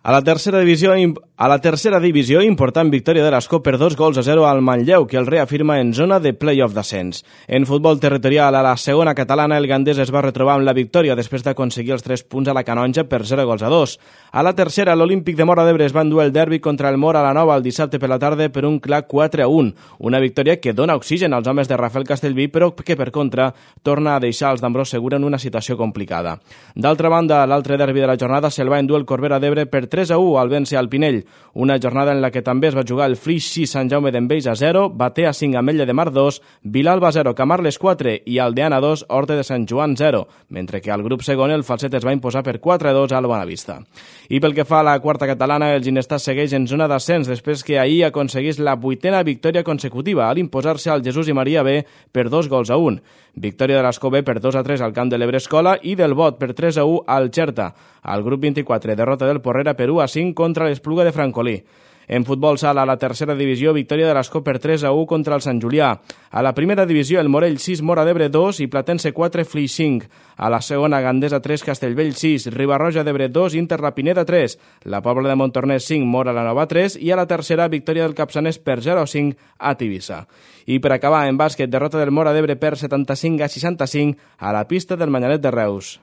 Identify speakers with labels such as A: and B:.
A: A la tercera divisió, important victòria de l'Escó per 2-0 al Manlleu, que el reafirma en zona de play-off d'ascens. En futbol territorial, a la segona catalana, el Gandés es va retrobar amb la victòria després d'aconseguir els 3 punts a la Canonja per 0-2. A la tercera, l'Olímpic de Móra d'Ebre es va endur el derbi contra el Móra a la Nova el dissabte per la tarda per un clar 4-1. Una victòria que dona oxigen als homes de Rafael Castellví, però que, per contra, torna a deixar els d'Ambrós Segura en una situació complicada. D'altra banda, l'altre derbi de la jornada se'l va endur el Corbera d'Ebre per 3-1 al vèncer al Pinell, una jornada en la que també es va jugar el Flix 6 Sant Jaume d'Enveja 0, Batea 5 Ametlla de Mar 2, Vilalba 0 Camarles 4 i Aldeana 2 Horta de Sant Joan 0, mentre que al grup segon el Falset es va imposar per 4-2 al Bonavista. I pel que fa a la quarta catalana, el Ginestar segueix en zona d'ascens després que ahir aconseguís la 8a victòria consecutiva al imposar-se al Jesús i Maria B per 2-1. Victòria de l'Escó B per 2-3 al camp de l'Ebre Escola i del Bot per 3-1 al Xerta. Al grup 24, derrota del Porrera per 1-5 contra l'Espluga de Francolí. En futbol sala, a la tercera divisió, victòria de l'Escó per 3-1 contra el Sant Julià. A la primera divisió, el Morell 6, Móra d'Ebre 2 i Platense 4, Flix 5. A la segona, Gandesa 3, Castellvell 6, Ribarroja d'Ebre 2, Inter La Pineda 3, la Pobla de Montornès 5, Móra la Nova 3 i a la tercera, victòria del Capçanès per 0-5 a Tivissa. I per acabar, en bàsquet, derrota del Móra d'Ebre per 75-65 a la pista del Manyanet de Reus.